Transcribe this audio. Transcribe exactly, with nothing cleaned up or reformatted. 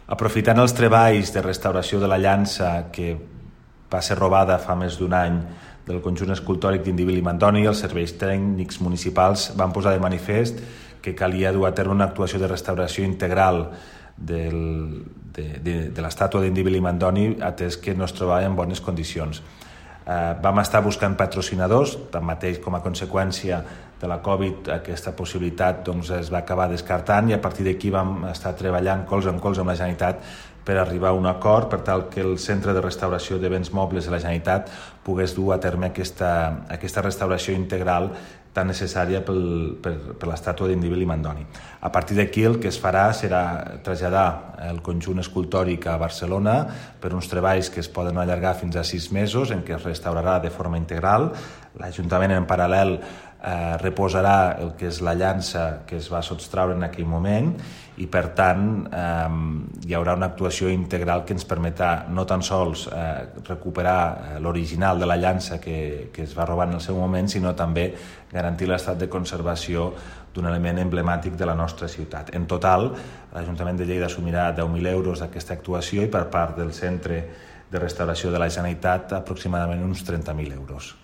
Aprofitant els treballs de restauració de la llança que va ser robada fa més d'un any del conjunt escultòric d'Indíbil i Mandoni, els serveis tècnics municipals van posar de manifest que calia dur a terme una actuació de restauració integral del, de, de, de l'estàtua d'Indíbil i Mandoni, atès que no es trobava en bones condicions. Eh, vam estar buscant patrocinadors, tanmateix com a conseqüència de la Covid aquesta possibilitat doncs, es va acabar descartant, i a partir d'aquí vam estar treballant colze en colze amb la Generalitat per arribar a un acord per tal que el Centre de Restauració de Béns Mobles de la Generalitat pogués dur a terme aquesta, aquesta restauració integral tan necessària pel, per, per l'estàtua d'Indíbil i Mandoni. A partir d'aquí el que es farà serà traslladar el conjunt escultòric a Barcelona per uns treballs que es poden allargar fins a sis mesos en què es restaurarà de forma integral. L'Ajuntament en paral·lel eh, reposarà el que és la llança que es va sotstraure en aquell moment, i per tant eh, hi haurà una actuació integral que ens permetrà no tan sols eh, recuperar l'original de la llança que, que es va robar en el seu moment, sinó també garantir l'estat de conservació d'un element emblemàtic de la nostra ciutat. En total, l'Ajuntament de Lleida assumirà deu mil euros d'aquesta actuació, i per part del Centre de Restauració de la Generalitat aproximadament uns trenta mil euros.